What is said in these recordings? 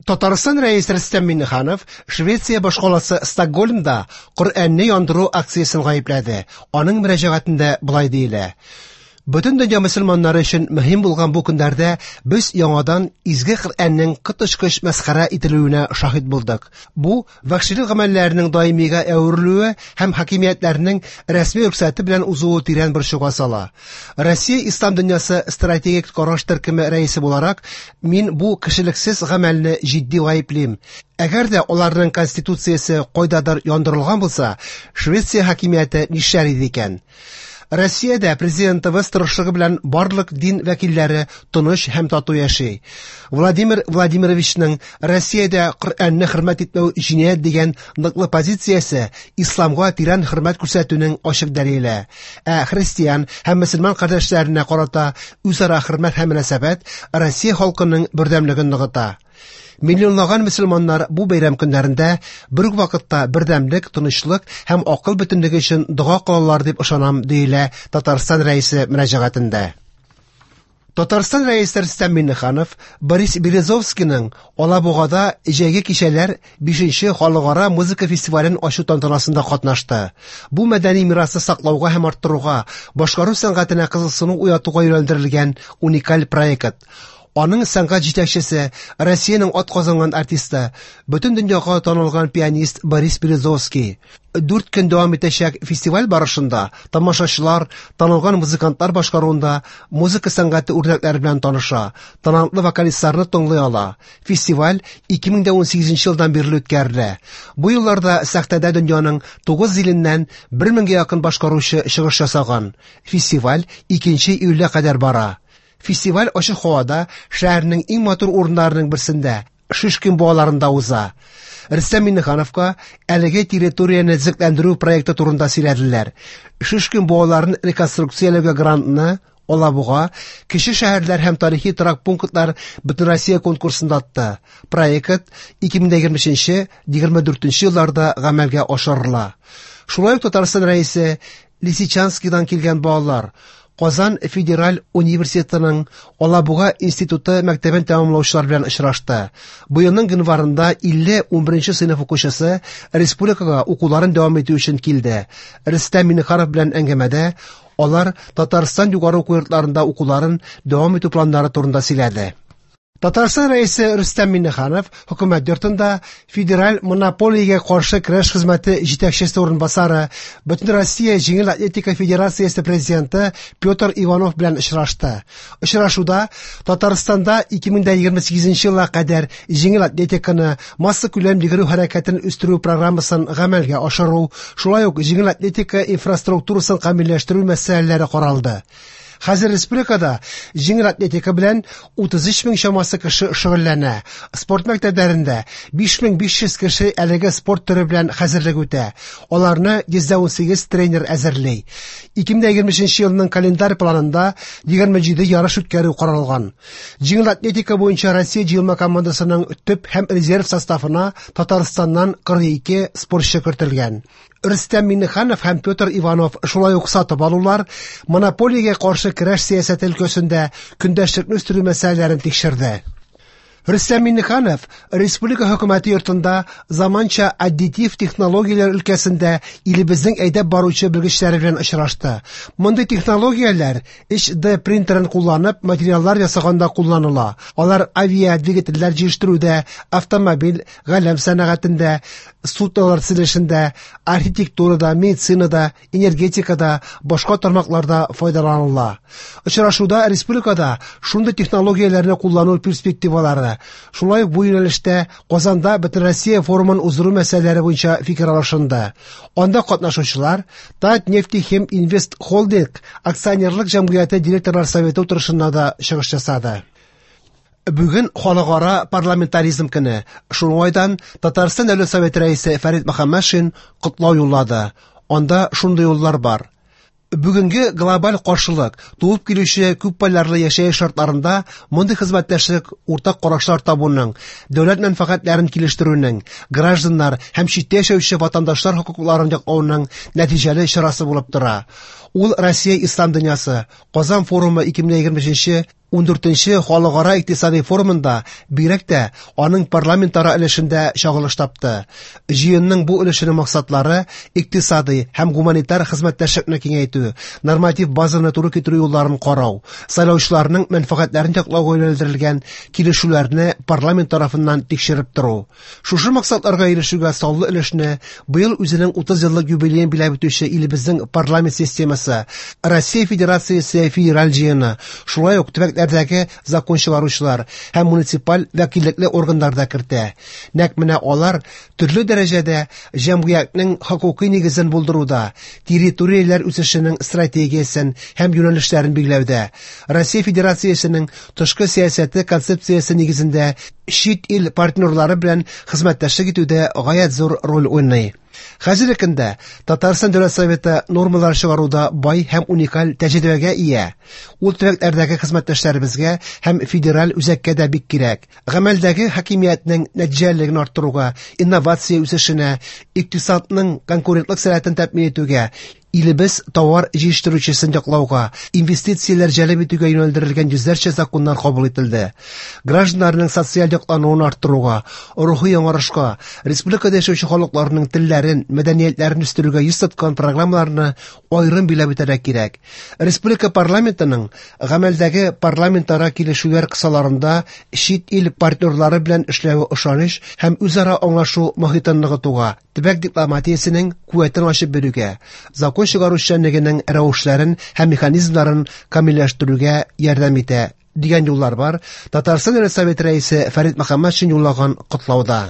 Татарстан Рәисе Рөстәм Миңнеханов Швеция башкаласы Стокгольмда Коръәнне яндыру акциясен гаепләде. Аның мөрәҗәгатендә болай диелә: Бөтен дөнья мөселманнары өчен мөһим булган бу көннәрдә без яңадан изге Коръәннең коточкыч мәсхәрә ителүенә шаһит булдык. Бу вәхшилек гамәлләренең даимигә әверелүе һәм хакимиятләрнең рәсми рөхсәте белән узуы тирән борчуга сала. Россия Ислам дөньясы стратегик караш төркеме рәисе буларак, мин бу кешелексез гамәлне җитди гаеплим. Әгәр дә аларның конституциясе кайдадыр яндырылган булса, Швеция хакимияте нишләр иде икән? Россиядә президентыбыз тырышлыгы белән барлык дин вәкилләре тыныч һәм тату яши. Владимир Владимировичның Россиядә Коръәнне хөрмәт итмәү җинаять дигән ныклы позициясе исламга тирән хөрмәт күрсәтүнең ачык дәлиле. Ә христиан һәм мөселман кардәшләренә карата үзара хөрмәт һәм мөнәсәбәт Россия халкының бердәмлеген ныгыта. Миллионлаган мөселманнар бу бәйрәм көннәрендә бер үк вакытта бердәмлек, тынычлык һәм акыл бөтенлеге өчен дога кылалар дип ышанам, диелә Татарстан Рәисе мөрәҗәгатендә. Татарстан Рәисе Рөстәм Миңнеханов Борис Березовскийның Алабугада җәйге кичәләр 5нче халыкара музыка фестивален ачу тантанасында катнашты. Бу мәдәни мирасны саклауга һәм арттыруга, башкару сәнгатенә кызыксыну уятуга юнәлдерелгән уникаль проект. Аның сәнгать җитәкчесе, Россиянең атказанган артисты, бөтен дөньяга танылган пианист Борис Березовский. 4 көн дәвам итәчәк фестиваль барышында тамашачылар танылган музыкантлар башкаруында музыка сәнгате үрнәкләре белән таныша, талантлы вокалистларны тыңлый ала. Фестиваль 2018 елдан бирле үткәрелә. Бу елларда сәхнәдә дөньяның 9 иленнән 1000гә якын башкаручы чыгыш ясаган. Фестиваль 2 июльгә кадәр бара. Фестиваль ачык һавада шәһәрнең иң матур урыннарының берсендә, Шишкин буаларында уза. Рөстәм Миңнехановка әлеге территорияне төзекләндерү проекты турында сөйләделәр. Шишкин буаларын реконструкцияләүгә грантны Алабуга, кече шәһәрләр һәм тарихи торак пунктлар Бөтенроссия конкурсында отты. Проект 2023-2024 елларда гамәлгә ашырыла. Шулай ук Татарстан Рәисе Лисичанскидан килгән балалар Казан федераль университетының Алабуга институты мәктәбен тәмамлаучылар белән очрашты. Быелның гыйнварында 50 11 сыйныф укучысы республикага укуларын дәвам итү өчен килде. Рөстәм Миңнеханов белән әңгәмәдә алар Татарстан югары уку йортларында укуларын дәвам итү планнары турында сөйләде. Татарстан Рәисе Рөстәм Миңнеханов хөкүмәт йортында Федераль монополиягә каршы көрәш хезмәте җитәкчесе урынбасары, Бөтенроссия җиңел атлетика федерациясе президенты Петр Иванов белән очрашты. Очрашуда Татарстанда 2028 елга кадәр җиңел атлетиканы массакүләм йөгерү хәрәкәтен үстерү программасын гамәлгә ашыру, шулай ук җиңел атлетика инфраструктурасын камилләштерү мәсьәләләре каралды. Хәзер республикада җиңел атлетика белән 33 мең чамасы кеше шөгыльләнә. Спорт мәктәпләрендә 5500 кеше әлеге спорт төре белән хәзерлек үтә. Аларны 118 тренер әзерли. 2023 елның календарь планында 27 ярыш үткәрү каралган. Җиңел атлетика буенча Россия җыелма командасының төп һәм резерв составына Татарстаннан 42 спортчы кертелгән. Рөстәм Миңнеханов һәм Петр Иванов шулай ук сатып алулар, монополиягә каршы көрәш сәясәте өлкәсендә көндәшлекне үстерү мәсьәләләрен тикшерде. Рөстәм Миңнеханов республика хөкүмәте йортында заманча аддитив технологияләр өлкәсендә илебезнең әйдәп баручы белгечләре белән очрашты. Мондый технологияләр 3D принтерын кулланып материаллар ясаганда кулланыла. Алар авиадвигательләр җитештерүдә, автомобиль, галәм сәнәгатендә, суднолар төзелешендә, архитектурада, медицинада, энергетикада, башка тармакларда файдаланыла. Очрашуда республикада шундый технологияләрне куллану перспективалары, шулай ук бу юнәлештә Казанда Бөтенроссия форумын уздыру мәсьәләләре буенча фикер алышынды. Анда катнашучылар Татнефтехим Инвест Холдинг акционерлык җәмгыяте директорлар советы утырышында да чыгыш ясады. Бүген халыкара парламентаризм көне. Шул уңайдан Татарстан Дәүләт Советы рәисе Фәрит Мөхәммәтшин котлау юллады. Анда шундый юллар бар. Бүгенге глобаль каршылык, туып килүче күпполярлы яшәеш шартларында мондый хезмәттәшлек уртак карашлар табуның, дәүләт мәнфәгатьләрен килештерүнең, гражданнар һәм читтә яшәүче ватандашлар хокукларын яклауның нәтиҗәле чарасы булып тора. Ул Россия ислам дөньясы, Казан форумы 2023 14нче Халыкара икътисади форумында, бигрәк тә аның парламентара өлешендә чагылыш тапты. Җыенның бу өлешенең максатлары икътисади һәм гуманитар хезмәттәшлекне киңәйтү, норматив базаны туры китерү юлларын карау, сайлаучыларның мәнфәгатьләрен яклауга юнәлдерелгән килешүләрне парламент тарафыннан тикшереп тору. Шушы максатларга ирешүгә саллы өлешне быел үзенең 30 еллык юбилеен биләп үтүче илебезнең парламент системасы, Россия Федерациясе Федераль җыены, шулай ук төбәкләрдәге закон чыгаручылар һәм муниципаль вәкиллекле органнар да кертә. Нәкъ менә алар төрле дәрәҗәдә җәмгыятьнең хокукый нигезен булдыруда, территорияләр үсешенең стратегиясен һәм юнәлешләрен билгеләүдә, Россия Федерациясенең тышкы сәясәте концепциясе нигезендә чит ил партнерлары белән хезмәттәшлек итүдә гаять зур роль уйный. Хәзерге көндә Татарстан Дәүләт Советы нормалар чыгаруда бай һәм уникаль тәҗрибәгә ия. Ул төбәкләрдәге хезмәттәшләребезгә һәм федераль үзәккә дә бик кирәк. Гамәлдәге хакимиятнең нәтиҗәлелеген арттыруга, инновация үсешенә, икътисадның конкурентлык сәләтен тәэмин итүгә, илебез товар җитештерүчесен яклауга, инвестицияләр җәлеп итүгә юнәлдерелгән йөзләрчә законнар кабул ителде. Гражданнарның социаль яклануын арттыруга, рухи яңарышка, республикада яшәүче халыкларның телләрен, мәдәниятләрен үстерүгә йөз тоткан программаларны аерым билгеләп үтәргә кирәк. Республика парламентының гамәлдәге парламентара килешүләр кысаларында чит ил партнерлары белән эшләве ышаныч һәм үзара аңлашу мохитын ныгытуга, төбәк дипломатиясенең куәтен ачып бирүгә, закон чыгару эшчәнлегенең рәвешләрен һәм механизмнарын камилләштерүгә ярдәм итә, дигән юллар бар Татарстан Дәүләт Советы рәисе Фәрит Мөхәммәтшин юллаган котлауда.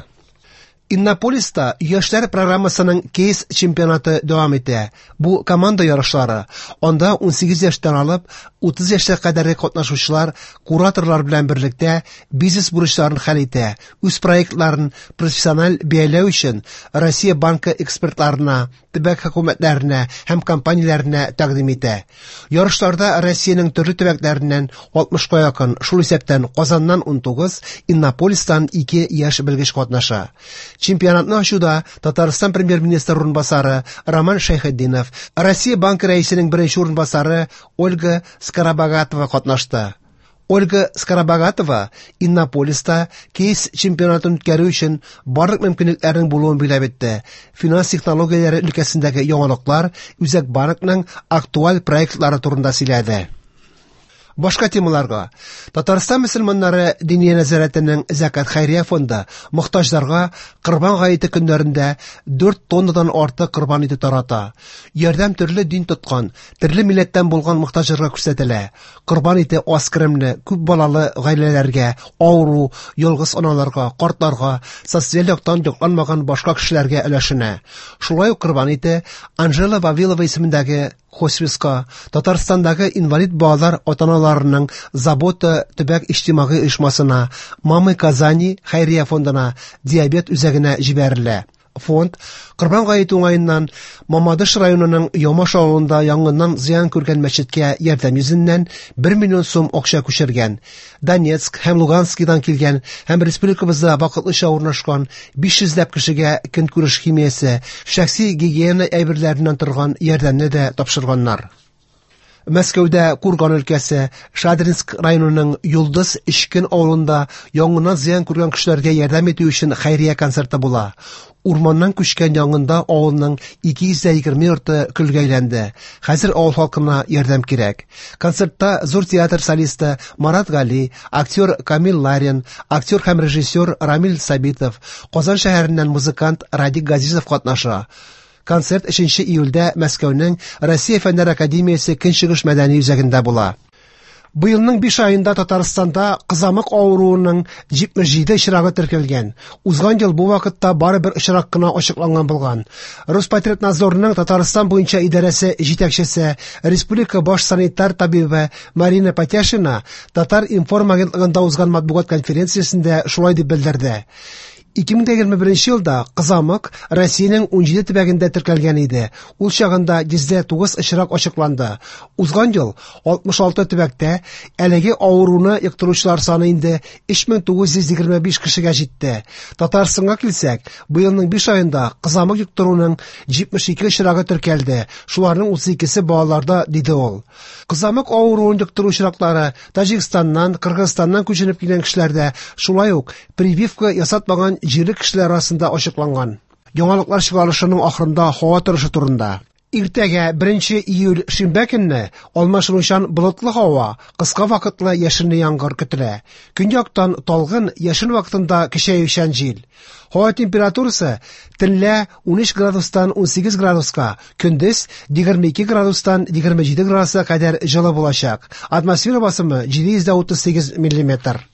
Иннополиста яшьләр программасының кейс чемпионаты дәвам итә. Бу команда ярышлары. Анда 18 яшьтән алып 30 яшькә кадәрге катнашучылар кураторлар белән берлектә бизнес бурычларын хәл итә, үз проектларын профессиональ бәяләү өчен Россия банкы экспертларына, төбәк хөкүмәтләренә һәм компанияләренә тәкъдим итә. Ярышларда Россиянең төрле төбәкләреннән 60-ка якын, шул исәптән Казаннан 19, Иннополистан 2 яшь белгеч катнаша. Чемпионатны ачуда Татарстан премьер-министры урынбасары Роман Шәйхетдинов, Россия банкы рәисенең беренче урынбасары Ольга Скоробогатова катнашты. Ольга Скоробогатова Иннополиста кейс чемпионатын үткәрү өчен барлык мөмкинлекләрнең булуын билгеләп үтте. Финанс технологияләре өлкәсендәге яңалыклар, Үзәк банкның актуаль проектлары турында сөйләде. Башка темаларга. Татарстан мөселманнары Диния нәзарәтенең Зәкат хәйрия фонды мохтаҗларга Корбан гаете көннәрендә 4 тоннадан артык корбан ите тарата. Ярдәм төрле дин тоткан, төрле милләттән булган мохтаҗларга күрсәтелә. Корбан ите аз керемле, күп балалы гаиләләргә, авыру, ялгыз аналарга, картларга, социаль яктан якланмаган башка кешеләргә өләшенә. Шулай ук корбан ите Анжела Вавилова исемендәге хосписка, Татарстандагы инвалид балалар ата-аналарының Забота төбәк иҗтимагый оешмасына, Мамы Казани хәйрия фондына, диабет үзәгенә җибәрелә. Фонд Корбан гаете уңаеннан Мамадыш районының Ямаш авылында янгыннан зыян күргән мәчеткә ярдәм йөзеннән 1 миллион сум акча күчергән. Донецк һәм Луганскидан килгән һәм республикабызда вакытлыча урнашкан 500 ләп кешегә көнкүреш химиясе, шәхси гигиена әйберләреннән торган ярдәмне дә тапшырганнар. Мәскәүдә Курган өлкәсе Шадринск районының Йолдыз Эчкен авылында янгыннан зыян күргән кешеләргә ярдәм итү өчен хәйрия концерты була. Урманнан күчкән янгында авылның 220 йорты көлгә әйләнде. Хәзер авыл халкына ярдәм кирәк. Концертта зур театр солисты Марат Гали, актер Камил Ларин, актер һәм режиссер Рамил Сабитов, Казан шәһәреннән музыкант Радик Газизов катнаша. Концерт 3 июльдә Мәскәүнең Россия Фәннәр академиясе Көнчыгыш мәдәни үзәгендә була. Быелның 5 аенда Татарстанда кызамык авыруының 77 очрагы теркәлгән. Узган ел бу вакытта бары бер очрак кына ачыкланган булган. Роспотребнадзорның Татарстан буенча идарәсе җитәкчесе, республика баш санитар табибы Марина Патяшина Татар-информ агентлыгында узган матбугат конференциясендә шулай дип белдерде. 2021 елда кызамык Россиянең 17 төбәгендә теркәлгән иде. Ул чагында 109 очрак ачыкланды. Узган ел 66 төбәктә әлеге авыруны йоктыручылар саны инде 3925 кешегә җитте. Татарстанга килсәк, быелның 5 аенда кызамык йоктыруның 72 очрагы теркәлде. Шуларның 32-се балаларда, диде ул. Кызамык авыруын йоктыру очраклары Таҗикстаннан, Кыргызстаннан күченеп килгән кешеләрдә, шулай ук прививка ясатмаган җирле кешеләр арасында ачыкланган. Яңалыклар чыгарылышының ахырында һава торышы турында. Иртәгә 1 июль шимбә көнне алмашынучан болытлы һава, кыска вакытлы яшенле яңгыр көтелә. Көньяктан талгын яшен вакытында көчәючән җил. Һава температурасы төнлә 13 градустан 18 градуска, көндез 22 градустан 27 градуска кадәр җылы булачак. Атмосфера басымы 738 миллиметр.